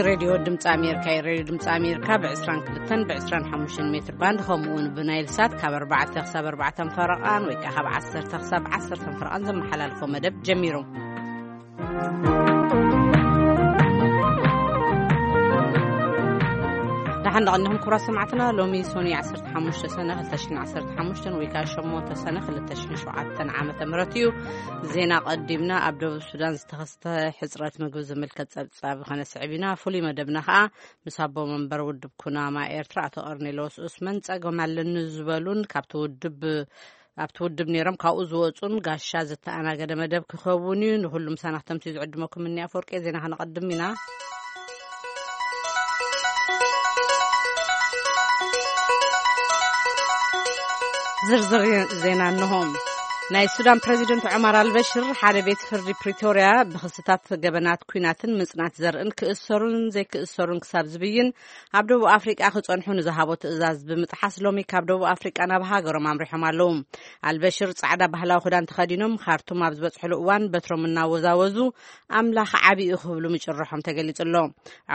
ሬድዮ ድምፂ ኣሜሪካ እዩ። ሬድዮ ድምፂ ኣሜሪካ ብ22ን ብ25ን ሜትር ባንድ፣ ከምኡ እውን ብናይል ሳት ካብ ኣርባዕተ ክሳብ ኣርባዕተን ፈረቓን ወይ ከዓ ካብ ዓሰርተ ክሳብ ዓሰርተን ፈረቓን ዘመሓላልፎ መደብ ጀሚሩ። ደሓን ደቐንኹም ክቡራት ሰማዕትና። ሎሚ ሶኒ 15 ሰነ 2015 ወይ ከዓ 8 ሰነ 2007 ዓመተ ምህረት እዩ። ዜና ቀዲምና። ኣብ ደቡብ ሱዳን ዝተኸስተ ሕጽረት ምግቢ ዝምልከት ጸብጻብ ከነስዕብ ኢና። ፍሉይ መደብና ከኣ ምስ ኣቦ መንበር ውድብ ኩናማ ኤርትራ ኣቶ ቀርኔሎስ ኡስመን ጸገም ኣለኒ ዝበሉን ካብቲ ውድብ ኣብቲ ውድብ ነይሮም ካብኡ ዝወጹን ጋሻ ዝተኣናገደ መደብ ክኸውን እዩ። ንኹሉ ምሳና ክተምሲ ዝዕድመኩም እኒ ኣፈወርቂ። ዜና ከነቐድም ኢና። ዝርዝር ዜና እንሆ። ናይ ሱዳን ፕረዚደንት ዑመር ኣልበሽር ሓደ ቤት ፍርዲ ፕሪቶርያ ብክስታት ገበናት ኲናትን ምጽናት ዘርእን ክእሰሩን ዘይክእሰሩን ክሳብ ዝብይን ኣብ ደቡብ ኣፍሪቃ ክጸንሑ ንዝሃቦ ትእዛዝ ብምጥሓስ ሎሚ ካብ ደቡብ ኣፍሪቃ ናብ ሃገሮም ኣምሪሖም ኣለዉ። ኣልበሽር ጻዕዳ ባህላዊ ክዳን ተኸዲኖም ካርቱም ኣብ ዝበጽሕሉ እዋን በትሮም እናወዛወዙ ኣምላኽ ዓቢ እዩ ክብሉ ምጭርሖም ተገሊጹ ኣሎ።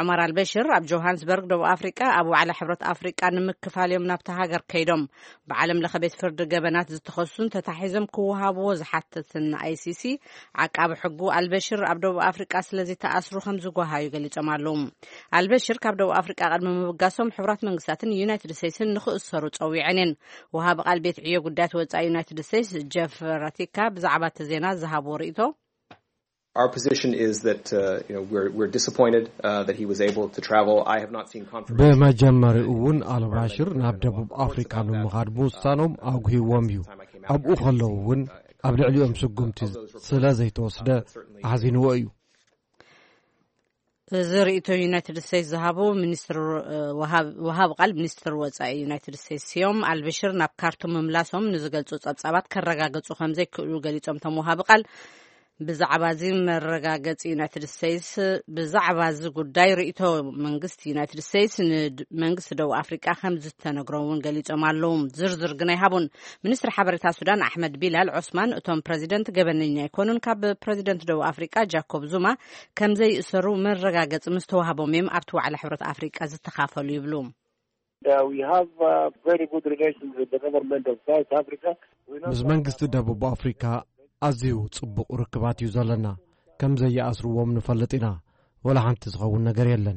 ዑመር ኣልበሽር ኣብ ጆሃንስበርግ ደቡብ ኣፍሪቃ ኣብ ዋዕላ ሕብረት ኣፍሪቃ ንምክፋል እዮም ናብቲ ሃገር ከይዶም። ብዓለም ለኸ ቤት ፍርዲ ገበናት ዝተኸሱን ተታሒዞም ክወሃብዎ ዝሓተትን ኣይሲሲ ዓቃቢ ሕጉ ኣልበሽር ኣብ ደቡብ ኣፍሪቃ ስለዚ ተኣስሩ ከም ዝጓሃዩ ገሊጾም ኣለዉ። ኣልበሽር ካብ ደቡብ ኣፍሪቃ ቅድሚ ምብጋሶም ሕቡራት መንግስታትን ዩናይትድ ስቴትስን ንኽእሰሩ ጸዊዐን እየን። ወሃቢ ቃል ቤት ዕዮ ጉዳያት ወጻኢ ዩናይትድ ስቴትስ ጀፍ ራቲካ ብዛዕባ እቲ ዜና ዝሃብዎ ርእይቶ። Our position is that, uh, you know, we're, we're disappointed, uh, that he was able to travel. I have not seen confirmation. ብመጀመሪኡ እውን ኣልባሽር ናብ ደቡብ ኣፍሪካ ንምኻድ ምውሳኖም ኣጉሂዎም እዩ። ኣብኡ ከለዉ እውን ኣብ ልዕሊኦም ስጉምቲ ስለ ዘይተወስደ ኣሕዚንዎ እዩ። እዚ ርእይቶ ዩናይትድ ስቴትስ ዝሃቡ ሚኒስትር፣ እ፣ ወሃብ-፣ ወሃብ ቃል ሚኒስትር ወጻኢ ዩናይትድ ስቴትስ እዮም። ኣልበሽር ናብ ካርቱም ምምላሶም ንዝገልጹ ጸብጻባት ከረጋግጹ ከም ዘይክእሉ ገሊጾም። እቶም ወሃብ ቃል ብዛዕባ እዚ መረጋገጺ ዩናይትድ ስቴትስ፣ ብዛዕባ እዚ ጉዳይ ርእይቶ መንግስቲ ዩናይትድ ስቴትስ ንመንግስቲ ደቡብ ኣፍሪቃ ከም ዝተነግሮ እውን ገሊጾም ኣለዉ። ዝርዝር ግን ኣይሃቡን። ሚኒስትሪ ሓበሬታ ሱዳን ኣሕመድ ቢላል ዑስማን እቶም ፕረዚደንት ገበነኛ ኣይኮኑን፣ ካብ ፕረዚደንት ደቡብ ኣፍሪቃ ጃኮብ ዙማ ከም ዘይእሰሩ መረጋገጺ ምስ ተዋህቦም እዮም ኣብቲ ዋዕላ ሕብረት ኣፍሪቃ ዝተኻፈሉ ይብሉ። Uh, we have, uh, very good relations with the government of South Africa. We know ምስ መንግስቲ ደቡብ ኣፍሪካ ኣዝዩ ጽቡቕ ርክባት እዩ ዘለና። ከም ዘይኣስርዎም ንፈልጥ ኢና። ወላ ሓንቲ ዝኸውን ነገር የለን።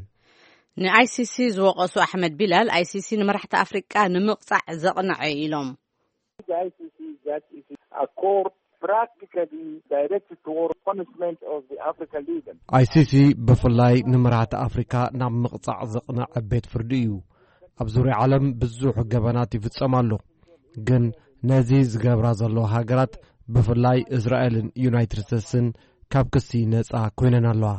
ንኣይሲሲ ዝወቐሱ ኣሕመድ ቢላል፣ ኣይሲሲ ንመራሕቲ ኣፍሪቃ ንምቕጻዕ ዘቕነዐ ኢሎም። The I C C is that it is a court practically directed toward punishment of the African leaders. ኣይሲሲ ብፍላይ ንመራሕቲ ኣፍሪካ ናብ ምቕጻዕ ዘቕነዐ ቤት ፍርዲ እዩ። ኣብ ዙርያ ዓለም ብዙሕ ገበናት ይፍጸም ኣሎ፣ ግን ነዚ ዝገብራ ዘለዋ ሃገራት ብፍላይ እስራኤልን ዩናይትድ ስቴትስን ካብ ክሲ ነጻ ኮይነን ኣለዋ።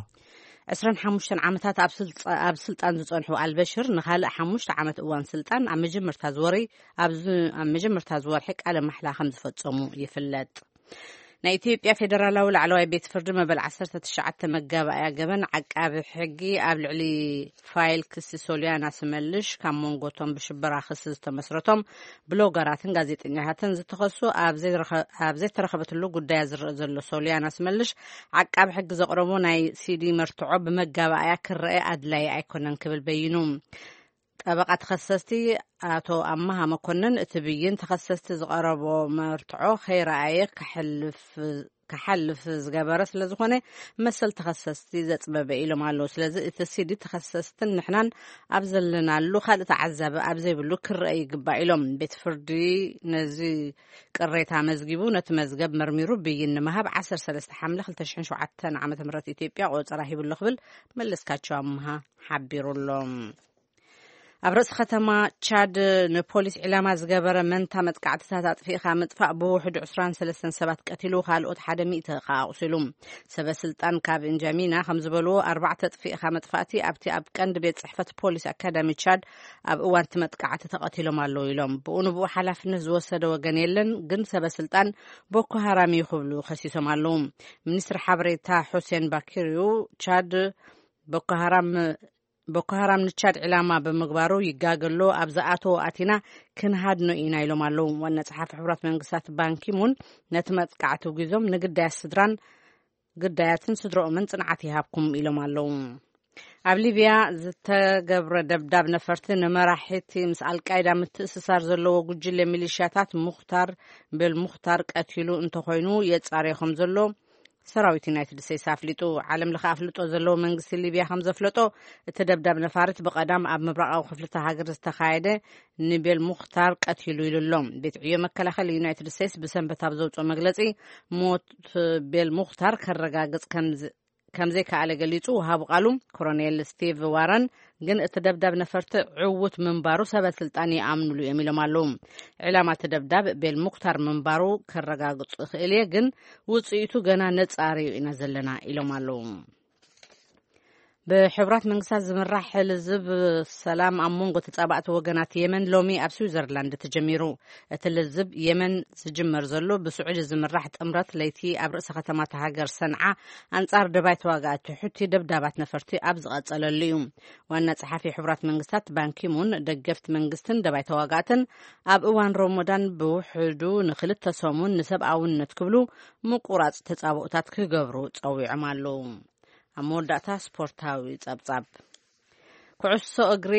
25 ዓመታት ኣብ ስልጣ-፣ ኣብ ስልጣን ዝጸንሑ ኣልበሽር ንኻልእ ሓሙሽተ ዓመት እዋን ስልጣን ኣብ መጀመርታ ዝወሪ፣ ኣብ ዝ-፣ ኣብ መጀመርታ ዝወርሒ ቃለ ማሕላ ከም ዝፈጸሙ ይፍለጥ። ናይ ኢትዮጵያ ፌደራላዊ ላዕለዋይ ቤት ፍርዲ መበል 19 መጋባእያ ገበን ዓቃቢ ሕጊ ኣብ ልዕሊ ፋይል ክሲ ሶልያና ስመልሽ ካብ መንጎቶም ብሽበራ ክሲ ዝተመስረቶም ብሎገራትን ጋዜጠኛታትን ዝተኸሱ ኣብ ዘይረኸ-፣ ኣብ ዘይተረኸበትሉ ጉዳያ ዝረአ ዘሎ ሶልያና ስመልሽ ዓቃቢ ሕጊ ዘቕረቦ ናይ ሲዲ መርትዖ ብመጋባእያ ክረአ ኣድላዪ ኣይኮነን ክብል በይኑ። ጠበቓ ተኸሰስቲ ኣቶ ኣማሃ መኮንን እቲ ብይን ተኸሰስቲ ዝቐረቦ መርትዖ ከይረኣየ ክሕልፍ ክሓልፍ ዝገበረ ስለ ዝኾነ መሰል ተኸሰስቲ ዘጽበበ ኢሎም ኣለዉ። ስለዚ እቲ ሲዲ ተኸሰስትን ንሕናን ኣብ ዘለናሉ ካልእ ተዓዛቢ ኣብ ዘይብሉ ክረአ ይግባእ ኢሎም። ቤት ፍርዲ ነዚ ቅሬታ መዝጊቡ ነቲ መዝገብ መርሚሩ ብይን ንምሃብ 13 ሓምለ 2007 ዓ.ም ኢትዮጵያ ቆጸራ ሂብሎ ክብል መለስካቸው ኣምሃ ሓቢሩ ኣሎ። ኣብ ርእሲ ከተማ ቻድ ንፖሊስ ዒላማ ዝገበረ መንታ መጥቃዕትታት ኣጥፊእኻ ምጥፋእ ብውሕዱ 23 ሰባት ቀቲሉ፣ ካልኦት ሓደ ሚእቲ ከኣ ኣቑሲሉ። ሰበ ስልጣን ካብ እንጃሚና ከም ዝበልዎ፣ ኣርባዕተ ኣጥፊእኻ መጥፋእቲ ኣብቲ ኣብ ቀንዲ ቤት ጽሕፈት ፖሊስ ኣካዳሚ ቻድ ኣብ እዋን እቲ መጥቃዕቲ ተቐቲሎም ኣለዉ ኢሎም። ብኡ ንብኡ ሓላፍነት ዝወሰደ ወገን የለን፣ ግን ሰበ ስልጣን ቦኮ ሃራም እዩ ክብሉ ከሲሶም ኣለዉ። ሚኒስትሪ ሓበሬታ ሑሴን ባኪር እዩ ቻድ ቦኮ ሃራም ቦኮ ሃራም ንቻድ ዕላማ ብምግባሩ ይጋገሎ ኣብ ዝኣተዎ ኣቲና ክንሃድኖ ኢና ኢሎም ኣለዉ። ዋና ጸሓፊ ሕቡራት መንግስታት ባንኪሙን ነቲ መጥቃዕቲ ውጊዞም ንግዳያት ስድራን ግዳያትን ስድረኦምን ጽንዓት ይሃብኩም ኢሎም ኣለዉ። ኣብ ሊብያ ዝተገብረ ደብዳብ ነፈርቲ ንመራሒቲ ምስ ኣልቃይዳ ምትእስሳር ዘለዎ ጉጅለ ሚሊሽያታት ሙኽታር ቤል ሙኽታር ቀቲሉ እንተኾይኑ የጻርዮ ከም ዘሎ ሰራዊት ዩናይትድ ስቴትስ ኣፍሊጡ። ዓለም ለኸ ኣፍልጦ ዘለዎ መንግስቲ ሊብያ ከም ዘፍለጦ፣ እቲ ደብዳብ ነፋሪት ብቐዳም ኣብ ምብራቓዊ ክፍልቲ ሃገር ዝተኻየደ ንቤል ሙኽታር ቀቲሉ ኢሉ ኣሎ። ቤት ዕዮ መከላኸሊ ዩናይትድ ስቴትስ ብሰንበት ኣብ ዘውፅኦ መግለፂ፣ ሞት ቤል ሙኽታር ከረጋግፅ ከም ከም ዘይከኣለ ገሊጹ። ወሃቢ ቃሉ ኮሎኔል ስቲቭ ዋረን ግን እቲ ደብዳብ ነፈርቲ ዕውት ምንባሩ ሰበ ስልጣን ይኣምኑሉ እዮም ኢሎም ኣለዉ። ዕላማ እቲ ደብዳብ ቤል ሙክታር ምንባሩ ከረጋግጹ እኽእል እየ፣ ግን ውጽኢቱ ገና ነጻሪ ኢና ዘለና ኢሎም ኣለዉ። ብሕቡራት መንግስታት ዝምራሕ ልዝብ ሰላም ኣብ መንጎ ተጻባእቲ ወገናት የመን ሎሚ ኣብ ስዊዘርላንድ ተጀሚሩ። እቲ ልዝብ የመን ዝጅመር ዘሎ ብስዑዲ ዝምራሕ ጥምረት ለይቲ ኣብ ርእሰ ከተማ እታ ሃገር ሰንዓ ኣንጻር ደባይ ተዋጋእቲ ሑቲ ደብዳባት ነፈርቲ ኣብ ዝቐጸለሉ እዩ። ዋና ጸሓፊ ሕቡራት መንግስታት ባንኪሙን ደገፍቲ መንግስትን ደባይ ተዋጋእትን ኣብ እዋን ሮሞዳን ብውሕዱ ንክልተ ሰሙን ንሰብኣውነት ክብሉ ምቁራጽ ተጻብኦታት ክገብሩ ጸዊዖም ኣለዉ። ኣብ መወዳእታ ስፖርታዊ ጸብጻብ። ኩዕሶ እግሪ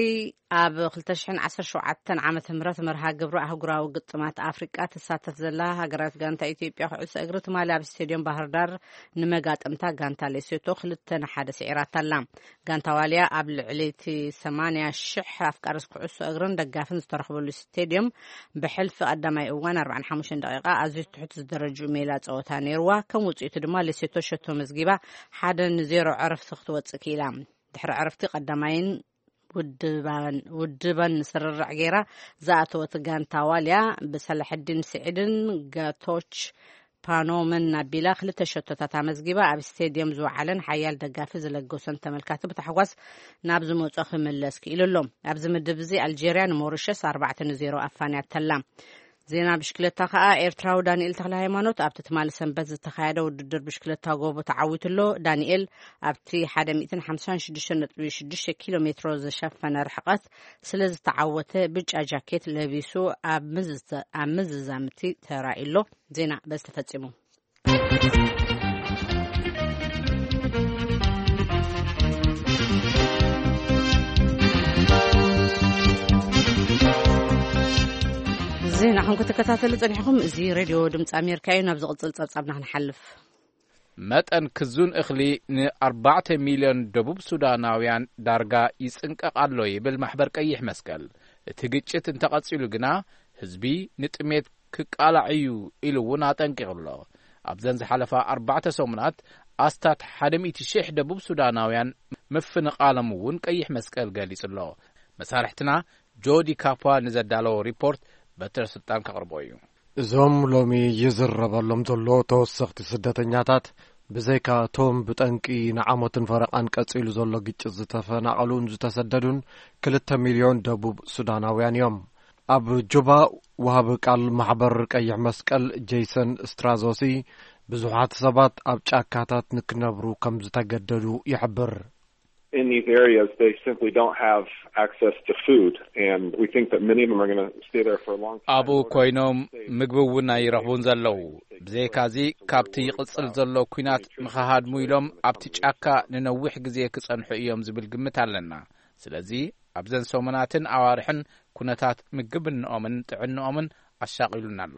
ኣብ ክልተ ሽሕን ዓሰርተ ሸውዓተን ዓመተ ምህረት መርሃ ግብሪ ኣህጉራዊ ግጥማት ኣፍሪቃ ትሳተፍ ዘላ ሃገራዊት ጋንታ ኢትዮጵያ ኩዕሶ እግሪ ትማሊ ኣብ ስቴድዮም ባህር ዳር ንመጋጥምታ ጋንታ ሌሶቶ ክልተ ንሓደ ስዒራታ ኣላ። ጋንታ ዋልያ ኣብ ልዕሊ እቲ ሰማንያ ሽሕ ኣፍቃሪ ኩዕሶ እግርን ደጋፍን ዝተረኽበሉ ስቴድዮም ብሕልፊ ቀዳማይ እዋን ኣርባዓን ሓሙሽተን ደቂቃ ኣዝዩ ትሑት ዝደረጅኡ ሜላ ጸወታ ነይርዋ። ከም ውጽኢቱ ድማ ሌሶቶ ሸቶ መዝጊባ ሓደ ንዜሮ ዕረፍቲ ክትወጽእ ክኢላ። ድሕሪ ዕረፍቲ ቀዳማይን ውድባን፣ ውድባን ስርርዕ ገይራ ዝኣተወት ጋንታ ዋልያ ብሰላሕዲን ስዒድን ጋቶች ፓኖመን ኣቢላ ክልተ ሸቶታት ኣመዝጊባ ኣብ ስቴድየም ዝወዓለን ሓያል ደጋፊ ዝለገሶን ተመልካቲ ብታሕጓስ ናብ ዝመጾ ክምለስ ክኢሉ ኣሎ። ኣብዚ ምድብ እዚ ኣልጀርያ ንሞሪሸስ ኣርባዕተ ንዜሮ ኣፋንያተላ። ዜና ብሽክለታ ከኣ ኤርትራዊ ዳንኤል ተክለ ሃይማኖት ኣብቲ ትማሊ ሰንበት ዝተኻየደ ውድድር ብሽክለታ ጎቦ ተዓዊቱ ኣሎ። ዳንኤል ኣብቲ ሓደ ሚእትን ሓምሳን ሽዱሽተ ነጥቢ ሽዱሽተ ኪሎ ሜትሮ ዝሸፈነ ርሕቀት ስለ ዝተዓወተ ብጫ ጃኬት ለቢሱ ኣብ ምዝዛ-፣ ኣብ ምዝዛምቲ ተራእዩ ኣሎ። ዜና በዚ ተፈጺሙ። ዜናኹም ክትከታተሉ ጸኒሕኹም። እዚ ሬድዮ ድምፂ ኣሜሪካ እዩ። ናብ ዝቕጽል ጸብጻብና ክንሓልፍ። መጠን ክዙን እኽሊ ንኣርባዕተ ሚልዮን ደቡብ ሱዳናውያን ዳርጋ ይጽንቀቕ ኣሎ ይብል ማሕበር ቀይሕ መስቀል። እቲ ግጭት እንተቐጺሉ ግና ህዝቢ ንጥሜት ክቃላዕ እዩ ኢሉ እውን ኣጠንቂቑ ኣሎ። ኣብዘን ዝሓለፋ ኣርባዕተ ሰሙናት ኣስታት ሓደ ሚእቲ ሽሕ ደቡብ ሱዳናውያን ምፍንቓሎም እውን ቀይሕ መስቀል ገሊጹ ኣሎ። መሳርሕትና ጆዲ ካፓ ንዘዳለዎ ሪፖርት በትረ ስልጣን ከቕርቦ እዩ። እዞም ሎሚ ይዝረበሎም ዘሎ ተወሰኽቲ ስደተኛታት፣ ብዘይካ እቶም ብጠንቂ ንዓመትን ፈረቓን ቀጺሉ ዘሎ ግጭት ዝተፈናቐሉን ዝተሰደዱን ክልተ ሚልዮን ደቡብ ሱዳናውያን እዮም። ኣብ ጁባ፣ ወሃቢ ቃል ማሕበር ቀይሕ መስቀል ጄይሰን ስትራዞሲ፣ ብዙሓት ሰባት ኣብ ጫካታት ንክነብሩ ከም ዝተገደዱ ይሕብር። In these areas, they simply don't have access to food, and we think that many of them are gonna stay there for a long time. ኣብኡ ኮይኖም ምግቢ እውን ኣይረኽቡን ዘለዉ። ብዘይካዚ፣ ካብቲ ይቕጽል ዘሎ ኲናት ንኸሃድሙ ኢሎም ኣብቲ ጫካ ንነዊሕ ግዜ ክጸንሑ እዮም ዝብል ግምት ኣለና። ስለዚ፣ ኣብዘን ሰሙናትን ኣዋርሕን ኩነታት ምግብንኦምን ጥዕንኦምን ኣሻቒሉና ኣሎ።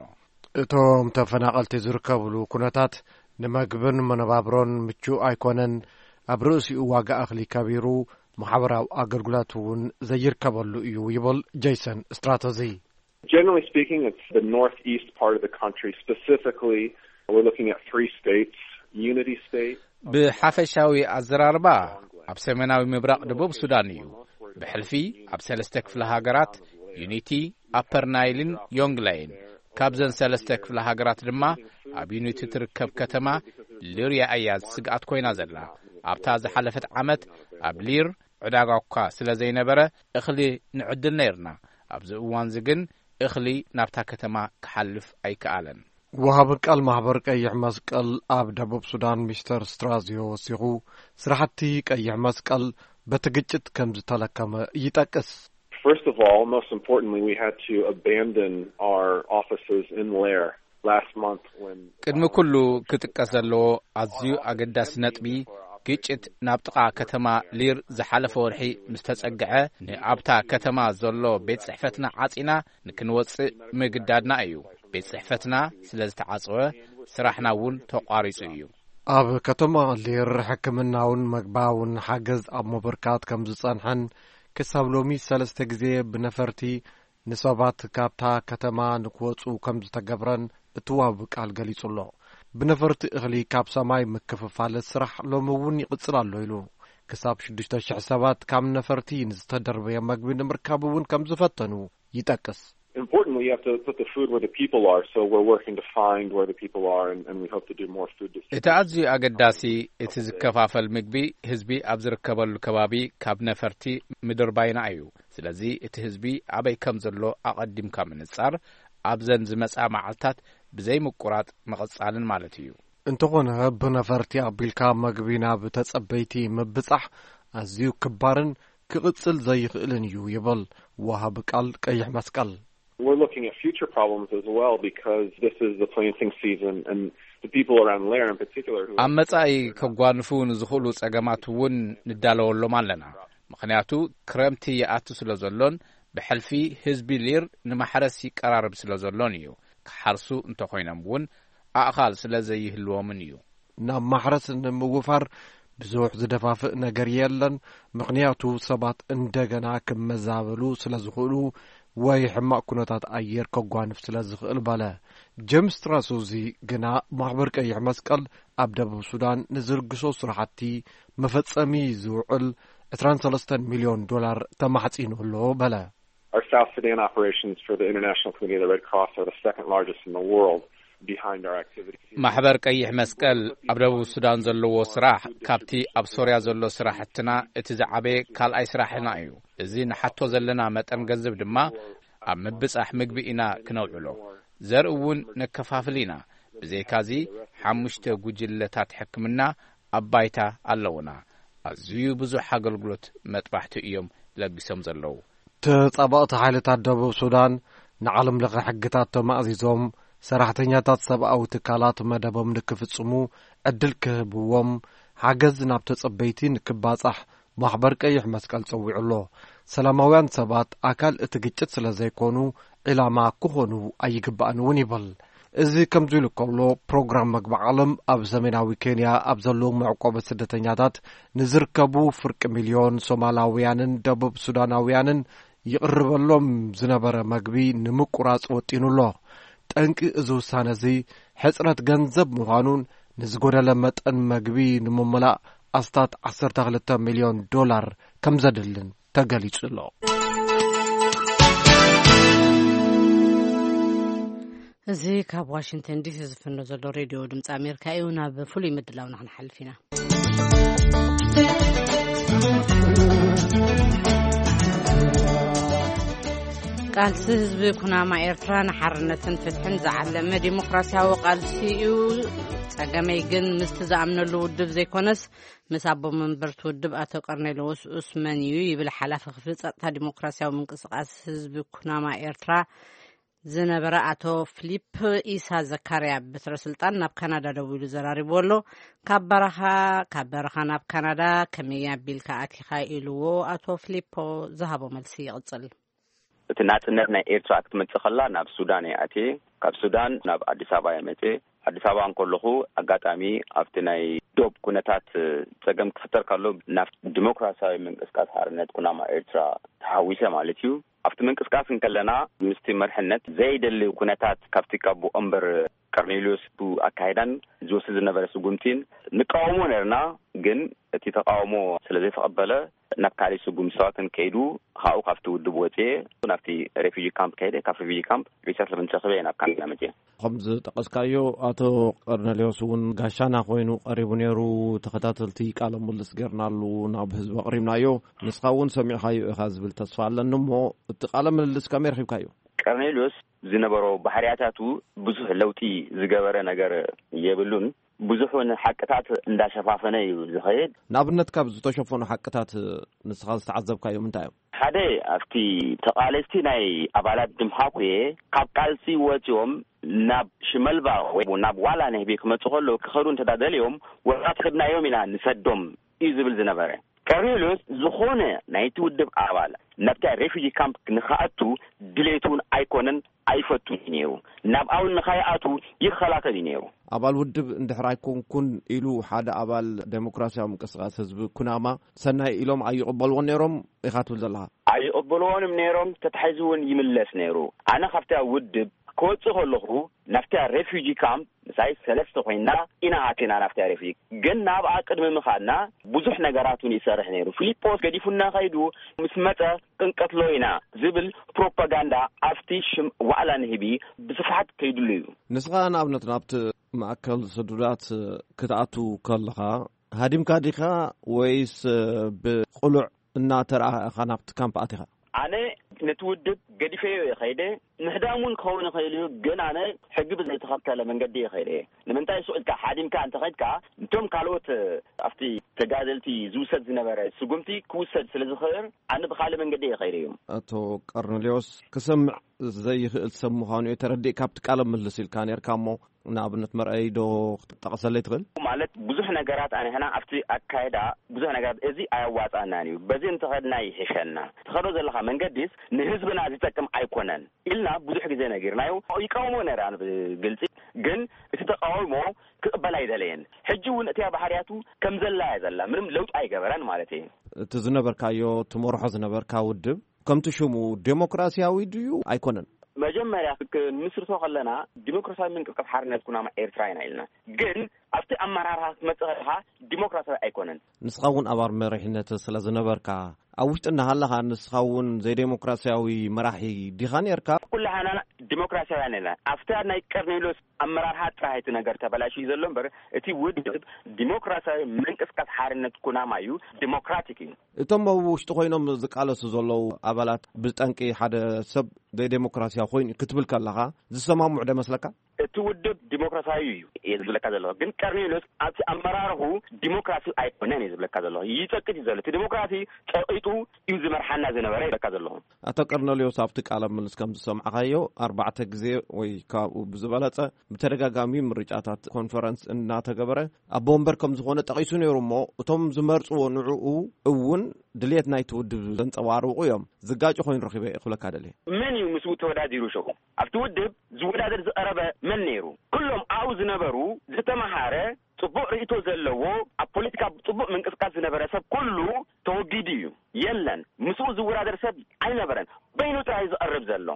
እቶም ተፈናቐልቲ ዝርከብሉ ኩነታት ንመግብን መነባብሮን ምቹእ ኣይኮነን። ኣብ ርእሲኡ ዋጋ እኽሊ ከቢሩ፣ ማሕበራዊ ኣገልግሎት እውን ዘይርከበሉ እዩ ይብል ጄይሰን ስትራተዚ። Generally speaking, it's the northeast part of the country. Specifically, we're looking at three states, Unity State. ብሓፈሻዊ ኣዘራርባ ኣብ ሰሜናዊ ምብራቕ ደቡብ ሱዳን እዩ። ብሕልፊ ኣብ ሰለስተ ክፍለ ሃገራት፣ ዩኒቲ፣ ኣፐር ናይልን ዮንግላይን። ካብዘን ሰለስተ ክፍለ ሃገራት ድማ ኣብ ዩኒቲ ትርከብ ከተማ ሊርያ እያ ስግኣት ኮይና ዘላ። ኣብታ ዝሓለፈት ዓመት ኣብ ሊር ዕዳጋ እኳ ስለ ዘይነበረ እኽሊ ንዕድል ነይርና። ኣብዚ እዋንዚ ግን እኽሊ ናብታ ከተማ ክሓልፍ ኣይከኣለን። ወሃቢ ቃል ማሕበር ቀይሕ መስቀል ኣብ ደቡብ ሱዳን ሚስተር ስትራዚዮ ወሲኹ፣ ስራሕቲ ቀይሕ መስቀል በቲ ግጭት ከም ዝተለከመ ይጠቅስ። First of all, most importantly, we had to abandon our offices in Lair last month when ቅድሚ ኩሉ ክጥቀስ ዘለዎ ኣዝዩ ኣገዳሲ ነጥቢ፣ ግጭት ናብ ጥቓ ከተማ ሊር ዝሓለፈ ወርሒ ምስ ተጸግዐ፣ ንኣብታ ከተማ ዘሎ ቤት ጽሕፈትና ዓጺና ንክንወጽእ ምግዳድና እዩ። ቤት ጽሕፈትና ስለ ዝተዓጸወ፣ ስራሕና እውን ተቋሪጹ እዩ። ኣብ ከተማ ሊር ሕክምናውን መግባውን ሓገዝ ኣብ ምብርካት ከም ዝጸንሐን፣ ክሳብ ሎሚ ሰለስተ ግዜ ብነፈርቲ ንሰባት ካብታ ከተማ ንክወጹ ከም ዝተገብረን እቲ ዋቢ ቃል ገሊጹ ኣሎ። ብነፈርቲ እኽሊ ካብ ሰማይ ምክፍፋል ስራሕ ሎሚ እውን ይቕጽል ኣሎ ኢሉ። ክሳብ ሽዱሽተ ሽሕ ሰባት ካብ ነፈርቲ ንዝተደርበየ መግቢ ንምርካብ እውን ከም ዝፈተኑ ይጠቅስ። Importantly, you have to put the food where the people are, so we're working to find where the people are, and, and we hope to do more food distribution. እቲ ኣዝዩ ኣገዳሲ፣ እቲ ዝከፋፈል ምግቢ ህዝቢ ኣብ ዝርከበሉ ከባቢ ካብ ነፈርቲ ምድርባይና እዩ። ስለዚ እቲ ህዝቢ ኣበይ ከም ዘሎ ኣቐዲምካ ምንጻር፣ ኣብዘን ዝመጻ መዓልታት ብዘይ ምቁራጽ ምቕጻልን ማለት እዩ። እንተኾነ፣ ብነፈርቲ ኣቢልካ መግቢ ናብ ተጸበይቲ ምብጻሕ ኣዝዩ ክባርን ክቕጽል ዘይኽእልን እዩ ይብል ወሃቢ ቃል ቀይሕ መስቀል። We're looking at future problems as well, because this is the planting season, and the people around Leer in particular who ኣብ መጻኢ ከጓንፉ ንዝኽእሉ ጸገማት እውን ንዳለወሎም ኣለና። ምኽንያቱ፣ ክረምቲ ይኣቱ ስለ ዘሎን ብሕልፊ ህዝቢ ሊር ንማሕረስ ይቀራረብ ስለ ዘሎን እዩ። ክሓርሱ እንተኾይኖም እውን ኣእኻል ስለ ዘይህልዎምን እዩ። ናብ ማሕረስ ንምውፋር ብዙሕ ዝደፋፍእ ነገር የለን፣ ምኽንያቱ ሰባት እንደገና ክመዛበሉ ስለ ዝኽእሉ ወይ ሕማቕ ኩነታት ኣየር ከጓንፍ ስለ ዝኽእል በለ። ጀምስ ትራሱዚ ግና ማሕበር ቀይሕ መስቀል ኣብ ደቡብ ሱዳን ንዝልግሶ ስራሕቲ መፈጸሚ ዝውዕል ዕስራን ሰለስተን ሚልዮን ዶላር ተማሕጺኑ ኣሎ በለ። Our South Sudan operations for the International Committee of the Red Cross are the second largest in the world, behind our activities. ማሕበር ቀይሕ መስቀል ኣብ ደቡብ ሱዳን ዘለዎ ስራሕ ካብቲ ኣብ ሶርያ ዘሎ ስራሕትና እቲ ዝዓበየ ካልኣይ ስራሕና እዩ። እዚ ንሓቶ ዘለና መጠን ገንዘብ ድማ ኣብ ምብጻሕ ምግቢ ኢና ክነውዕሎ። ዘርኢ እውን ነከፋፍል ኢና። ብዘይካዚ ሓሙሽተ ጉጅለታት ሕክምና ኣብ ባይታ ኣለውና። ኣዝዩ ብዙሕ ኣገልግሎት መጥባሕቲ እዮም ለጊሶም ዘለዉ። ተጻባእቲ ሓይልታት ደቡብ ሱዳን ንዓለም ለኸ ሕግታት ተማእዚዞም ሰራሕተኛታት ሰብኣዊ ትካላት መደቦም ንክፍጽሙ ዕድል ክህብዎም ሓገዝ ናብ ተጸበይቲ ንክባጻሕ ማሕበር ቀይሕ መስቀል ጸዊዑ ኣሎ። ሰላማውያን ሰባት ኣካል እቲ ግጭት ስለ ዘይኮኑ ዒላማ ክኾኑ ኣይግባእን እውን ይብል። እዚ ከምዚ ኢሉ ከሎ ፕሮግራም መግቢ ዓለም ኣብ ሰሜናዊ ኬንያ ኣብ ዘለዉ መዕቆቢ ስደተኛታት ንዝርከቡ ፍርቂ ሚልዮን ሶማላውያንን ደቡብ ሱዳናውያንን ይቕርበሎም ዝነበረ መግቢ ንምቁራጽ ወጢኑ ኣሎ። ጠንቂ እዚ ውሳነ እዚ ሕጽረት ገንዘብ ምዃኑን ንዝጎደለ መጠን መግቢ ንምምላእ ኣስታት ዓሰርተ ክልተ ሚልዮን ዶላር ከም ዘድልን ተገሊጹ ኣሎ። እዚ ካብ ዋሽንግተን ዲሲ ዝፍኖ ዘሎ ሬድዮ ድምፂ ኣሜሪካ እዩ። ናብ ፍሉይ ምድላውና ክንሓልፍ ኢና። ቃልሲ ህዝቢ ኩናማ ኤርትራ ንሓርነትን ፍትሕን ዝዓለመ ዲሞክራሲያዊ ቃልሲ እዩ። ጸገመይ ግን ምስቲ ዝኣምነሉ ውድብ ዘይኮነስ ምስ ኣቦ መንበርቲ ውድብ ኣቶ ቀርኔሎስ ኡስመን እዩ ይብል ሓላፊ ክፍሊ ጸጥታ ዲሞክራሲያዊ ምንቅስቃስ ህዝቢ ኩናማ ኤርትራ ዝነበረ ኣቶ ፍሊፕ ኢሳ ዘካርያ። በትረ ስልጣን ናብ ካናዳ ደዊሉ ዘራሪብዎ ኣሎ። ካብ በረኻ ካብ በረኻ ናብ ካናዳ ከመይ ኣቢልካ ኣቲኻ ኢልዎ ኣቶ ፍሊፖ ዝሃቦ መልሲ ይቕጽል። እቲ ናጽነት ናይ ኤርትራ ክትመጽእ ከላ ናብ ሱዳን እየ ኣትየ። ካብ ሱዳን ናብ ኣዲስ ኣበባ እየ መጽየ። ኣዲስ ኣበባ እንከለኹ ኣጋጣሚ ኣብቲ ናይ ዶብ ኩነታት ጸገም ክፍጠር ከሎ ናብ ዲሞክራሲያዊ ምንቅስቃስ ሓርነት ኩናማ ኤርትራ ተሓዊሰ ማለት እዩ። ኣብቲ ምንቅስቃስ እንከለና ምስቲ መርሕነት ዘይደሊ ኩነታት ካብቲ ካብ ወንበር ቀርኔልዮስ ኣካይዳን ዝወስድ ዝነበረ ስጉምቲን ንቃወሞ ነርና። ግን እቲ ተቃውሞ ስለ ዘይተቐበለ ናብ ካሊእ ስጉምቲ ሰባትን ከይዱ ካብኡ ካብቲ ውድብ ወፅየ ናብቲ ሬፊጂ ካምፕ ከይደ። ካብ ሬፊጂ ካምፕ ሪሰትልመንት ረክበ ናብ ካናዳ መፅየ። ከም ዝጠቀስካዮ ኣቶ ቀርኔልዮስ እውን ጋሻና ኮይኑ ቀሪቡ ነይሩ። ተኸታተልቲ ቃለ ምልልስ ጌርናሉ ናብ ህዝቢ ኣቕሪብናዮ። ንስኻ እውን ሰሚዕካዮ ኢኻ ዝብል ተስፋ ኣለኒ። እሞ እቲ ቃለ ምልልስ ከመይ ረኺብካዮ? ቀርኔልዮስ ዝነበሮ ባህርያታቱ ብዙሕ ለውጢ ዝገበረ ነገር የብሉን። ብዙሕ እውን ሓቅታት እንዳሸፋፈነ እዩ ዝኸይድ። ንኣብነት ካብ ዝተሸፈኑ ሓቅታት ንስኻ ዝተዓዘብካዮም እንታይ እዮም? ሓደ ኣብቲ ተቓለስቲ ናይ ኣባላት ድምሃኩ እየ ካብ ቃልሲ ወፂኦም ናብ ሽመልባ ወይ ናብ ዋላ ነህቢ ክመፁ ከለዉ ክኸዱ እንተዳደልዮም ወራት ሒድናዮም ኢና ንሰዶም እዩ ዝብል ዝነበረ። ቀርኔሎስ ዝኾነ ናይቲ ውድብ ኣባል ናብታ ሬፊጂ ካምፕ ንኸኣቱ ድሌቱ እውን ኣይኮነን፣ ኣይፈቱን እዩ ነይሩ። ናብ ኣውን ንኸይኣቱ ይኸላከል እዩ ነይሩ። ኣባል ውድብ እንድሕር ኣይኮንኩን ኢሉ ሓደ ኣባል ዴሞክራሲያዊ ምንቅስቃስ ህዝቢ ኩናማ ሰናይ ኢሎም ኣይቕበልዎን ነይሮም ኢኻ ትብል ዘለኻ? ኣይቕበልዎንም ነይሮም። ተታሒዙ እውን ይምለስ ነይሩ። ኣነ ካብታ ውድብ ክወፅእ ከለኹ ናብታ ሬፊጂ ካምፕ ምሳይ ሰለስተ ኮይና ኢና ኣቲና ናብታ ሬፊጂ። ግን ናብኣ ቅድሚ ምኻድና ብዙሕ ነገራት እውን ይሰርሕ ነይሩ። ፊሊጶስ ገዲፉና ከይዱ ምስ መፀ ክንቀትሎ ኢና ዝብል ፕሮፓጋንዳ ኣብቲ ሽም ዋዕላ ንህቢ ብስፍሓት ከይድሉ እዩ። ንስኻ ንኣብነት ናብቲ ማእከል ስዱዳት ክትኣቱ ከለኻ ሃዲምካ ዲኻ ወይስ ብቕሉዕ እናተረኣኻ ናብቲ ካምፕ ኣቲኻ? ኣነ ነቲ ውድብ ገዲፈዮ እየ ከይደ። ምሕዳም እውን ክኸውን ይኽእል እዩ፣ ግን ኣነ ሕጊ ብዘይተኸተለ መንገዲ እየ ከይደ እየ። ንምንታይ ሱቕ ኢልካ ሓዲምካ እንተኸይድካ፣ እቶም ካልኦት ኣብቲ ተጋደልቲ ዝውሰድ ዝነበረ ስጉምቲ ክውሰድ ስለ ዝኽእል፣ ኣነ ብኻልእ መንገዲ እየ ከይደ እዮም። ኣቶ ቀርኔሌዎስ፣ ክሰምዕ ዘይኽእል ሰብ ምዃኑ እየ ተረዲእ። ካብቲ ቃለ ምልልስ ኢልካ ነርካ እሞ፣ ንኣብነት መርኣይ ዶ ክትጠቕሰለይ ትኽእል? ማለት ብዙሕ ነገራት ኣንሕና ኣብቲ ኣካይዳ ብዙሕ ነገራት እዚ ኣያዋጻናን እዩ፣ በዚ እንተኸድና ይሕሸና፣ ትኸዶ ዘለኻ መንገዲስ ንህዝብና ዝጠቅም ኣይኮነን ኢልና ብዙሕ ግዜ ነጊርናዮ። ይቃወሞ ነራ ብግልጺ፣ ግን እቲ ተቃውሞ ክቕበል ኣይደለየን። ሕጂ እውን እቲያ ባህርያቱ ከም ዘላ እያ ዘላ፣ ምንም ለውጢ ኣይገበረን ማለት እዩ። እቲ ዝነበርካዮ ትመርሖ ዝነበርካ ውድብ ከምቲ ሽሙ ዴሞክራሲያዊ ድዩ ኣይኮነን? መጀመርያ ክንምስርቶ ከለና ዲሞክራሲያዊ ምንቅስቃስ ሓርነት ኩናማ ኤርትራ ኢና ኢልና። ግን ኣብቲ ኣመራርሓ ክትመጽእ ከለኻ ዲሞክራሲያዊ ኣይኮነን። ንስኻ እውን ኣባል መሪሕነት ስለ ዝነበርካ፣ ኣብ ውሽጢ እናሃለኻ ንስኻ እውን ዘይዴሞክራሲያዊ መራሒ ዲኻ ነርካ? ኩላህና ዲሞክራሲያውያን ኢና። ኣብታ ናይ ቀርኔሎስ ኣመራርሓ ጥራይ እቲ ነገር ተበላሽዩ ዘሎ እምበር፣ እቲ ውድብ ዲሞክራሲያዊ ምንቅስቃስ ሓርነት ኩናማ እዩ፣ ዲሞክራቲክ እዩ። እቶም ኣብ ውሽጢ ኮይኖም ዝቃለሱ ዘለዉ ኣባላት ብጠንቂ ሓደ ሰብ ዘይዴሞክራሲያዊ ኮይኑ ክትብል ከለኻ ዝሰማምዑ ዶ ይመስለካ? እቲ ውድብ ዲሞክራሲያዊ እዩ እየ ዝብለካ ዘለኹ፣ ግን ቀርኔሎስ ኣብቲ ኣመራርሑ ዲሞክራሲ ኣይኮነን እየ ዝብለካ ዘለኹ። ይጸቅጥ እዩ ዘሎ። እቲ ዲሞክራሲ ጸቂጡ እዩ ዝመርሓና ዝነበረ ይብለካ ዘለኹ። ኣቶ ቀርኔሌዎስ፣ ኣብቲ ቃለ ምልልስ ከም ዝሰማዕካዮ፣ ኣርባዕተ ግዜ ወይ ካብኡ ብዝበለጸ ብተደጋጋሚ ምርጫታት ኮንፈረንስ እናተገበረ ኣቦ ወንበር ከም ዝኾነ ጠቒሱ ነይሩ እሞ፣ እቶም ዝመርጽዎ ንዕኡ እውን ድልየት ናይቲ ውድብ ዘንጸባርቑ እዮም። ዝጋጭ ኮይኑ ረኺበ እየ ክብለካ ደልየ። መን እዩ ምስኡ ተወዳዲሩ ሸው? ኣብቲ ውድብ ዝወዳደር ዝቐረበ መን ነይሩ? ኩሎም ኣብኡ ዝነበሩ ዝተመሃረ፣ ጽቡቕ ርእይቶ ዘለዎ፣ ኣብ ፖለቲካ ጽቡቕ ምንቅስቃስ ዝነበረ ሰብ ኩሉ ተወጊዱ እዩ። የለን፣ ምስኡ ዝወዳደር ሰብ ኣይነበረን። በይኑ ጥራይ ዝቐርብ ዘሎ።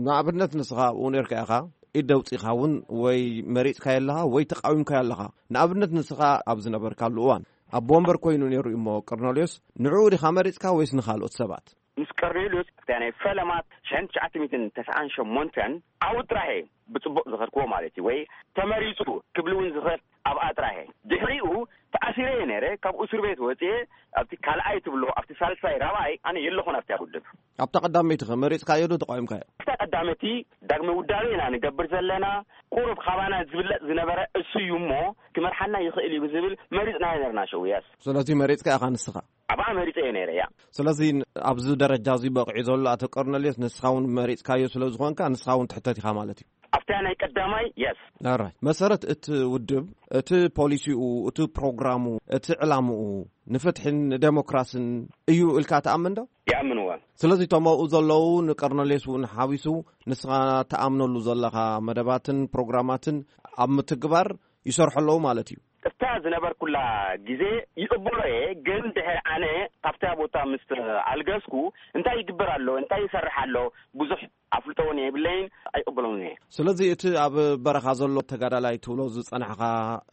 ንኣብነት ንስኻ ኣብኡ ነርካ ኢኻ፣ ኢድ ደውጺኻ እውን ወይ መሪጽካዮ ኣለኻ ወይ ተቃዊምካዮ ኣለኻ። ንኣብነት ንስኻ ኣብ ዝነበርካሉ እዋን ኣቦ ወንበር ኮይኑ ነይሩ እዩ እሞ፣ ቀርኔሌዎስ፣ ንዕኡ ዲኻ መሪጽካ ወይስ ንኻልኦት ሰባት? ምስ ቀርኔሌዎስ ኣብታ ናይ ፈለማ ሽሕን ትሽዓተ ሚእትን ተስዓን ሸሞንተን ኣብኡ ጥራሕ እየ ብጽቡቕ ዝኸድክዎ ማለት እዩ፣ ወይ ተመሪጹ ክብል እውን ዝኽእል ኣብኣ ጥራሕ እየ። ድሕሪኡ ተኣሲረ እየ ነይረ፣ ካብ እስር ቤት ወጺኤ ኣብቲ ካልኣይ ትብሎ፣ ኣብቲ ሳልሳይ፣ ራብዓይ ኣነ የለኹን ኣብታ ውድብ። ኣብታ ቀዳመይቲ ኸ መሪጽካዮ ዶ ተቃዊምካዮ? ኣብታ ቀዳመይቲ ዳግመ ውዳቤ ኢና ንገብር ዘለና፣ ቁሩብ ካባና ዝብለጽ ዝነበረ እሱ እዩ እሞ ክመርሓና ይኽእል እዩ ብዝብል መሪጽናዮ ነርና ሸውያስ። ስለዚ መሪጽካ ኢኻ ንስኻ? ኣብኣ መሪጸ እየ ነይረ እያ። ስለዚ ኣብዚ ደረጃ እዚ በቂዑ ዘሎ ኣቶ ቀርኔሌዎስ ንስኻ እውን መሪጽካዮ ስለ ዝኾንካ ንስኻ እውን ትሕተት ኢኻ ማለት እዩ። ኣብታ ናይ ቀዳማይ የስ። ኣራይ፣ መሰረት እቲ ውድብ፣ እቲ ፖሊሲኡ፣ እቲ ፕሮግራሙ፣ እቲ ዕላምኡ ንፍትሕን ንዴሞክራስን እዩ ኢልካ ትኣምን ዶ? ይኣምንዎ። ስለዚ እቶም ኣብኡ ዘለዉ ንቀርኔሌዎስ እውን ሓዊሱ ንስኻ ትኣምነሉ ዘለኻ መደባትን ፕሮግራማትን ኣብ ምትግባር ይሰርሑ ኣለዉ ማለት እዩ። እታ ዝነበርኩላ ግዜ ይቕበሎ እየ፣ ግን ድሕሪ ኣነ ካብታ ቦታ ምስ ኣልገስኩ እንታይ ይግበር ኣሎ፣ እንታይ ይሰርሕ ኣሎ ብዙሕ ኣፍልጦ እውን የብለይን፣ ኣይቕበሎን እየ። ስለዚ እቲ ኣብ በረኻ ዘሎ ተጋዳላይ ትብሎ ዝጸናሕካ፣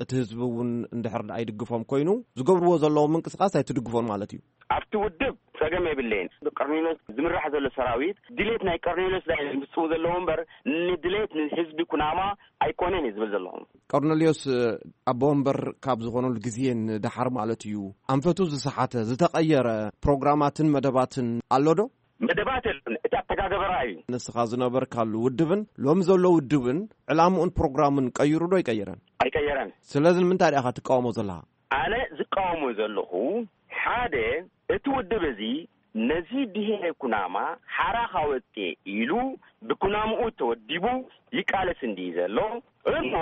እቲ ህዝቢ እውን እንድሕር ደኣ ይድግፎም ኮይኑ ዝገብርዎ ዘለዉ ምንቅስቃስ ኣይትድግፎን ማለት እዩ? ኣብቲ ውድብ ጸገም የብለይን። ብቀርኔሎስ ዝምራሕ ዘሎ ሰራዊት ድሌት ናይ ቀርኔሎስ ዳይ ዝምጽኡ ዘለዉ እምበር ንድሌት ንህዝቢ ኩናማ ኣይኮነን እየ ዝብል ዘለኹ። ቀርኔሌዎስ ኣቦ ወንበር ካብ ዝኾነሉ ግዜ ንደሓር ማለት እዩ፣ ኣንፈቱ ዝሰሓተ ዝተቐየረ ፕሮግራማትን መደባትን ኣሎ ዶ? መደባት የለን። እቲ ኣተጋገበራ እዩ። ንስኻ ዝነበርካሉ ውድብን ሎሚ ዘሎ ውድብን ዕላምኡን ፕሮግራሙን ቀይሩ ዶ ይቀይረን? ኣይቀየረን። ስለዚ ንምንታይ ዲኻ ትቃወሞ ዘለኻ? ኣነ ዝቃወሞ ዘለኹ፣ ሓደ፣ እቲ ውድብ እዚ ነዚ ብሄረ ኩናማ ሓራ ካወፅኤ ኢሉ ብኩናምኡ ተወዲቡ ይቃለስ እንዲ ዘሎ፣ እሞ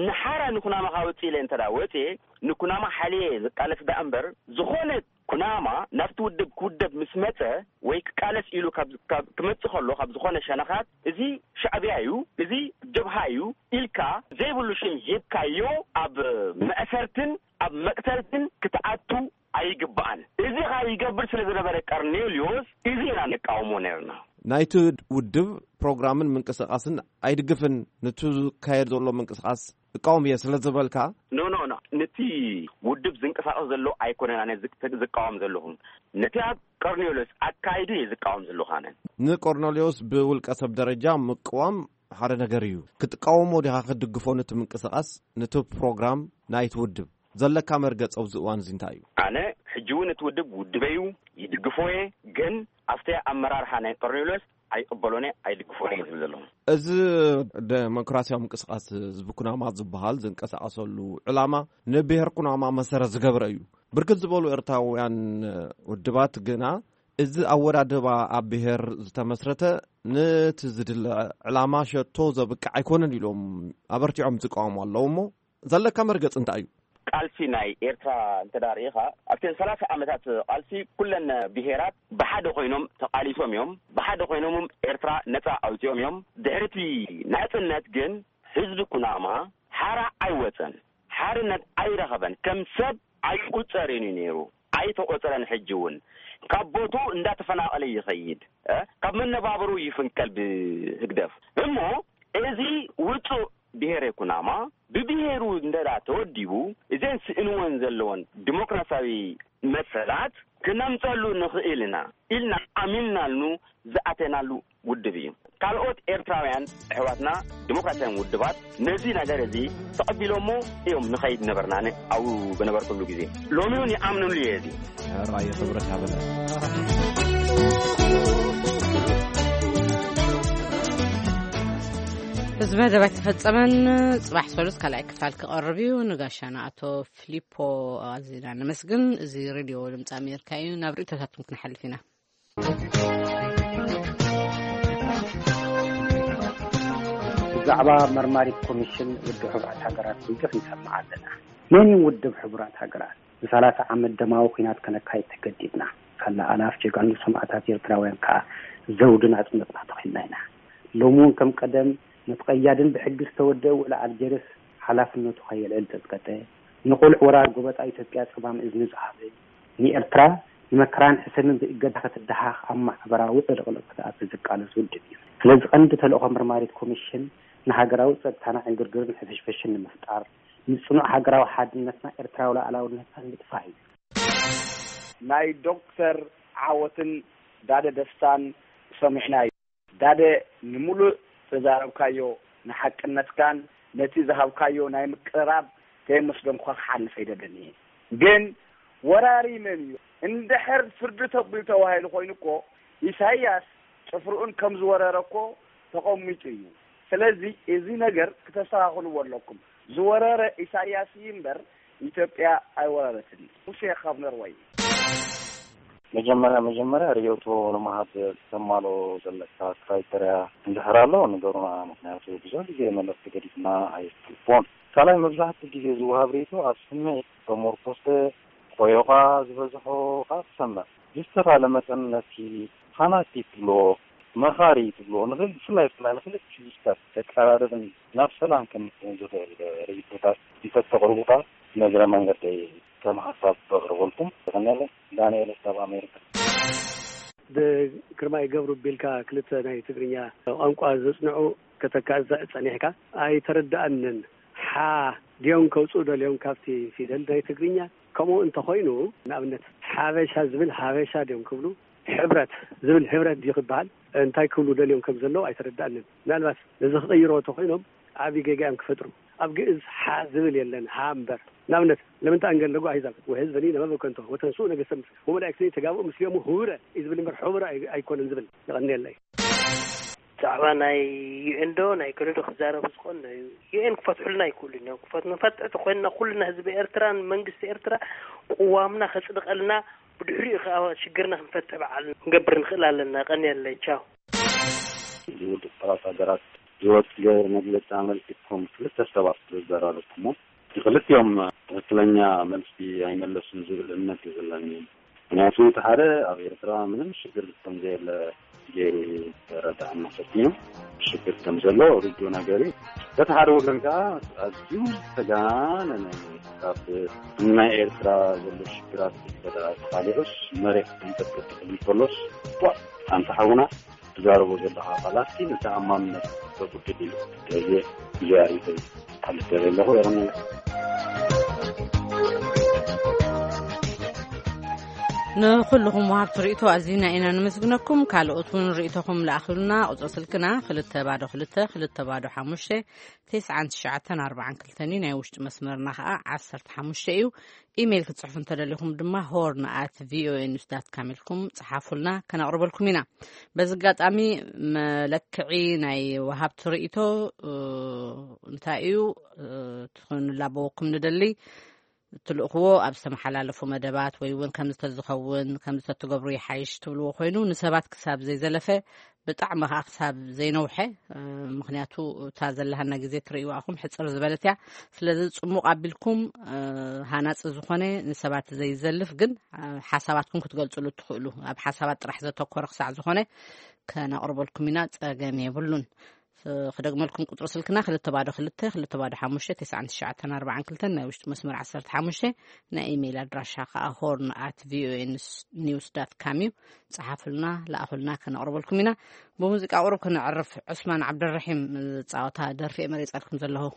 ንሓራ ንኩናማ ካወፅእ ኢለ እንተ ወፅኤ፣ ንኩናማ ሓልየ ዝቃለስ ደኣ እምበር፣ ዝኾነ ኩናማ ናብቲ ውድብ ክውደብ ምስ መፀ ወይ ክቃለስ ኢሉ ካብ፣ ካብ ክመፅእ ከሎ፣ ካብ ዝኾነ ሸነኻት፣ እዚ ሻዕብያ እዩ፣ እዚ ጀብሃ እዩ ኢልካ ዘይብሉ ሽም ሂብካዮ፣ ኣብ መእሰርትን ኣብ መቅተልትን ክትኣቱ ኣይግባእን። እዚ ኸኣ ይገብር ስለ ዝነበረ ቀርኔልዮስ፣ እዚ ኢና ንቃወሞ ነርና። ናይቲ ውድብ ፕሮግራምን ምንቅስቃስን ኣይድግፍን፣ ንቱ ዝካየድ ዘሎ ምንቅስቃስ እቃወም እየ ስለ ዝበልካ? ኖ፣ ኖ፣ ኖ። ነቲ ውድብ ዝንቀሳቀስ ዘሎ ኣይኮነን ኣነ ዝቅ-፣ ዝቃወም ዘለኹ። ነቲ ኣብ ቀርኔልዮስ ኣካይዱ እየ ዝቃወም ዘለኹ ኣነ። ንቆርኔልዮስ ብውልቀ ሰብ ደረጃ ምቅዋም ሓደ ነገር እዩ። ክትቃወሞ ዲኻ ክትድግፎ ነቲ ምንቅስቃስ፣ ነቲ ፕሮግራም ናይቲ ውድብ? ዘለካ መርገጽ ኣብዚ እዋን እዚ እንታይ እዩ? ኣነ ሕጂ እውን እቲ ውድብ ውድበይ እዩ፣ ይድግፎ እየ፣ ግን ኣብቲ ኣመራርሓ ናይ ቆርኔልዮስ ኣይቅበሎን እየ፣ ኣይድግፎን እየ ዝብል ዘለኹ። እዚ ደሞክራሲያዊ ምንቅስቃስ ህዝቢ ኩናማ ዝበሃል ዝንቀሳቀሰሉ ዕላማ ንብሄር ኩናማ መሰረት ዝገብረ እዩ። ብርክት ዝበሉ ኤርትራውያን ውድባት ግና እዚ ኣወዳድባ ኣብ ብሄር ዝተመስረተ ነቲ ዝድለ ዕላማ ሸቶ ዘብቅዕ ኣይኮነን ኢሎም ኣበርቲዖም ዝቃወሙ ኣለዉ እሞ ዘለካ መርገጽ እንታይ እዩ? ቃልሲ ናይ ኤርትራ እንተ ደኣ ርኢኻ፣ ኣብተን ሰላሳ ዓመታት ቃልሲ ኩለን ብሄራት ብሓደ ኮይኖም ተቃሊሶም እዮም። ብሓደ ኮይኖም ኤርትራ ነጻ ኣውጺኦም እዮም። ድሕሪ እቲ ናጽነት ግን ህዝቢ ኩናማ ሓራ ኣይወጸን፣ ሓርነት ኣይረኸበን፣ ከም ሰብ ኣይቁጸርን እዩ ነይሩ። ኣይተቆጸረን። ሕጂ እውን ካብ ቦትኡ እንዳተፈናቀለ ይኸይድ፣ እ፣ ካብ መነባብሩ ይፍንቀል ብህግደፍ። እሞ እዚ ውጹእ ብሄረ ኩናማ ብብሄሩ እንደ ተወዲቡ፣ እዘን ስእንወን ዘለወን ዲሞክራሲያዊ መሰላት ክነምጸሉ ንኽእል ኢና ኢልና ኣሚንናሉ ዝኣተናሉ ውድብ እዩ። ካልኦት ኤርትራውያን ኣሕዋትና ዲሞክራሲያን ውድባት ነዚ ነገር እዚ ተቐቢሎሞ እዮም ንኸይድ ነበርና፣ ን-፣ ኣብኡ በነበርኩሉ ግዜ። ሎሚ እውን ይኣምንሉ እየ እዚ። ሕራይ ክብረት ሃበለ። እዚ መደብ ኣይተፈጸመን። ጽባሕ ሰሉስ ካልኣይ ክፋል ክቐርብ እዩ። ንጋሻና ኣቶ ፊሊፖ ኣዚና ነመስግን። እዚ ሬድዮ ድምፂ ኣሜሪካ እዩ። ናብ ርእይቶታትኩም ክንሓልፍ ኢና። ብዛዕባ መርማሪት ኮሚሽን ውድብ ሕቡራት ሃገራት ብዙሕ ንሰምዕ ኣለና። መን እዩ ውድብ ሕቡራት ሃገራት? ንሰላሳ ዓመት ደማዊ ኲናት ከነካይድ ተገዲድና። ካላ ኣላፍ ጀጋኑ ሰማእታት ኤርትራውያን ከኣ ዘውዲ ናጽነትና ተኺልና ኢና። ሎሚ እውን ከም ቀደም ነቲ ቀያድን ብሕጊ ዝተወደአ ውዕል ኣልጀርስ ሓላፍነቱ ከየልዕል ዘጽቀጠ፣ ንቑልዕ ወራር ጎበጣ ኢትዮጵያ ጸማም እዝኒ ዝሃበ፣ ንኤርትራ ንመከራን ሕሰምን ብእገዳ ክትደሃኽ ኣብ ማሕበራዊ ዕልቕልቕ ክትኣቱ ዝቃለስ ውድብ እዩ። ስለዚ ቀንዲ ተልእኾ መርማሪት ኮሚሽን ንሃገራዊ ጸጥታና ዕንግርግርን ሕፍሽፍሽን ንምፍጣር፣ ንጽኑዕ ሃገራዊ ሓድነትና ኤርትራዊ ሉዓላውነትና ንምጥፋእ እዩ። ናይ ዶክተር ዓወትን ዳደ ደስታን ሰሚዕናዮ። ዳደ፣ ንምሉእ ዘዛረብካዮ ንሓቅነትካን ነቲ ዝሃብካዮ ናይ ምቅርራብ ከየመስገንኩኻ ክሓልፍ ኣይደልን እየ። ግን ወራሪ መን እዩ? እንድሕር ፍርዲ ተቢሉ ተባሂሉ ኮይኑ እኮ ኢሳይያስ ጭፍርኡን ከም ዝወረረ እኮ ተቐሚጡ እዩ። ስለዚ እዚ ነገር ክተስተኻኽልዎ ኣለኩም። ዝወረረ ኢሳይያስ እዩ እምበር ኢትዮጵያ ኣይወረረትን። ሙሴ ካብ ኖርወይ። መጀመርያ መጀመርያ ርእይቶ ንምሃብ ተማልኦ ዘለካ ክራይተርያ እንድሕር ኣሎ ንገሩና፣ ምኽንያቱ ብዙሕ ግዜ መልእኽቲ ገዲፍና ኣይትልፎን። ካልኣይ መብዛሕትኡ ግዜ ዝወሃብ ርእይቶ ኣብ ስምዒት ተሞርኮሰ፣ ቆዮኻ ዝበዝሖ ኸኣ ትሰምዕ። ብዝተኻለ መጠን ነቲ ፋናቲክ ትብልዎ፣ መኻሪ ትብልዎ፣ ንኽል-፣ ብፍላይ ብፍላይ ንኽልቲኡ ሰብ ዘቀራርብን ናብ ሰላም ከምጽእን ዝኽእል ርእይቶታት እንተተቕርቡ ኸኣ ንእግረ መንገደይ ከም ሓሳብ ከቕርበልኩም። የቐንየለይ። ዳንኤል ካብ ኣሜሪካ። ብግርማይ ገብሩ ቢልካ ክልተ ናይ ትግርኛ ቋንቋ ዘጽንዑ ከተካእዛ ጸኒሕካ ኣይተረድኣንን። ሓ ድዮም ከውጽኡ ደልዮም ካብቲ ፊደል ናይ ትግርኛ? ከምኡ እንተኾይኑ፣ ንኣብነት ሓበሻ ዝብል ሃበሻ ድዮም ክብሉ? ሕብረት ዝብል ህብረት ድዩ ክበሃል? እንታይ ክብሉ ደልዮም ከም ዘለዉ ኣይተረድኣንን። ምናልባት ነዚ ክቕይርዎ እንተኾይኖም ዓቢ ጌጋ እዮም ክፈጥሩ። ኣብ ግእዝ ሓ ዝብል የለን፣ ሃ እምበር። ንኣብነት ለምን ተኣንገን ለጎ ኣሂዛብ ወህዝበኒ ለመበከንቶ ወተንሱ ነገሰም ወመላእክትኒ ተጋብኡ ምስሊዮሙ ህውረ እዩ ዝብል እምበር ሕቡረ ኣይ- ኣይኮነን ዝብል። የቐንየለይ። ዛዕባ ናይ ዩኤን ዶ ናይ ገለ ዶ ክዛረቡ ዝኾን እዩ። ዩኤን ክፈትሑልና ኣይክእሉን እዮም። ክፈት- ንፈትሕ ተኮይንና ኩልና ህዝቢ ኤርትራን መንግስቲ ኤርትራ ቅዋምና ከጽድቀልና፣ ብድሕሪኡ ከዓ ሽግርና ክንፈትሕ በዓል ክንገብር ንኽእል ኣለና። ቀንየለይ። ቻው። እዚ ውድብ ሰባት ሃገራት ዝወፀ መግለፂ ኣመልኪትኩም ክልተ ሰባት ዝዘራረብኩሞ፣ ክልቲኦም ትክክለኛ መልሲ ኣይመለሱን ዝብል እምነት እዩ ዘለኒ። ምክንያቱ እቲ ሓደ ኣብ ኤርትራ ምንም ሽግር ከም ዘየለ ገይሩ ተረዳእና ፈቲኑ፣ ሽግር ከም ዘሎ ርዱእ ነገር እዩ። በቲ ሓደ ወገን ከዓ ኣዝዩ ዝተጋነነ ካብ ናይ ኤርትራ ዘሎ ሽግራት ተቃሊዑስ መሬት ተንቀጥቀጥ ክብል ከሎስ፣ ዋ፣ ኣንታ ሓውና ትዛረቦ ዘለኻ ቃላት ግን ተኣማንነት ዘጉድል እዩ። ስለዚ እዚ ኣሪተ ክሓልፍ ደልየ ኣለኹ። የቐንየለይ። ንኹልኹም ወሃብቲ ርእይቶ ኣዚና ኢና ንምስግነኩም። ካልኦት እውን ርእይቶኹም ለኣኽሉና። ቁጽሪ ስልክና ክልተ ባዶ ክልተ ክልተ ባዶ ሓሙሽተ ተስዓን ትሽዓተን ኣርባዓን ክልተን እዩ። ናይ ውሽጢ መስመርና ኸኣ ዓሰርተ ሓሙሽተ እዩ። ኢሜይል ክትጽሕፉ እንተደሊኹም ድማ ሆርን ኣት ቪኦኤ ኒውስ ዳት ካም ኢልኩም ጽሓፉልና፣ ከነቕርበልኩም ኢና። በዚ ኣጋጣሚ መለክዒ ናይ ወሃብቲ ርእይቶ፣ እ፣ እንታይ እዩ፣ እ፣ ክንላበወኩም ንደሊ። ትልእኽዎ ኣብ ዝተመሓላለፉ መደባት ወይ እውን ከምዚ ተዝኸውን፣ ከምዚ ተትገብሩ ይሓይሽ ትብልዎ ኮይኑ፣ ንሰባት ክሳብ ዘይዘለፈ፣ ብጣዕሚ ኸዓ ክሳብ ዘይነውሐ፣ እ፣ ምኽንያቱ እታ ዘለሃና ግዜ ትርእይዋ ኢኹም ሕጽር ዝበለት እያ። ስለዚ ጽሙቕ ኣቢልኩም፣ እ፣ ሃናጺ ዝኾነ ንሰባት ዘይዘልፍ ግን፣ እ፣ ሓሳባትኩም ክትገልጽሉ እትኽእሉ፣ ኣብ ሓሳባት ጥራሕ ዘተኮረ ክሳዕ ዝኾነ ከነቕርበልኩም ኢና፣ ጸገም የብሉን። ስ-፣ ክደግመልኩም ቁጽሪ ስልክና ክልተ ባዶ ክልተ ክልተ ባዶ ሓሙሽተ ተስዓን ትሽዓተን ኣርባዓን ክልተን፣ ናይ ውሽጢ መስመር ዓሰርተ ሓሙሽተ፣ ናይ ኢሜይል ኣድራሻ ከኣ ሆርን ኣት ቪኦኤ ኒውስ ዳት ካም እዩ። ጸሓፉልና፣ ለኣኹልና፣ ከነቕርበልኩም ኢና። ብሙዚቃ ቁሩብ ክነዕርፍ፣ ዑስማን ዓብደልረሒም ዝጻወታ ደርፊ እየ መሪጸልኩም ዘለኹ።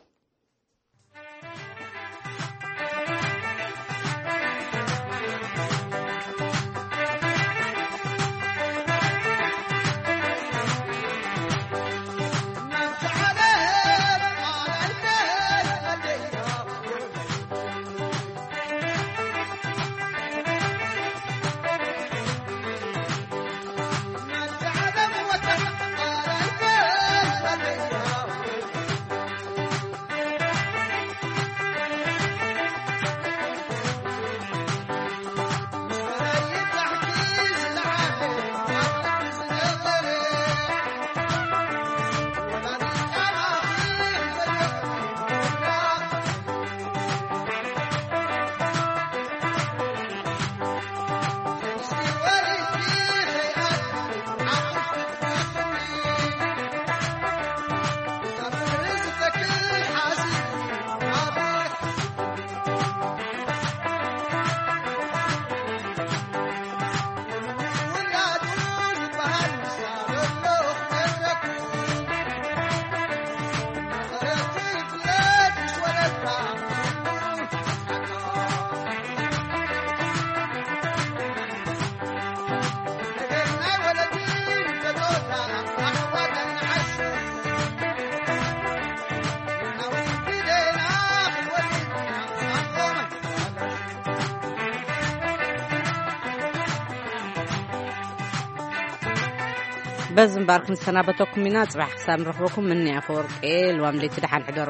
በዚ እምበር ክንሰናበተኩም ኢና። ጽባሕ ክሳብ ንረኽበኩም፣ ምኒ ኣፈወርቂ፣ ልዋም ለይቲ፣ ደሓን ሕደሩ።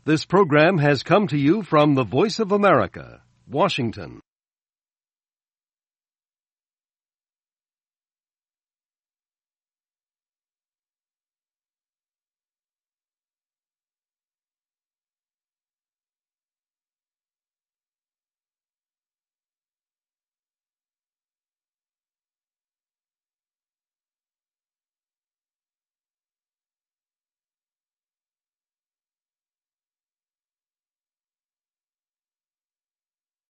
This program has come to you from the Voice of America, Washington.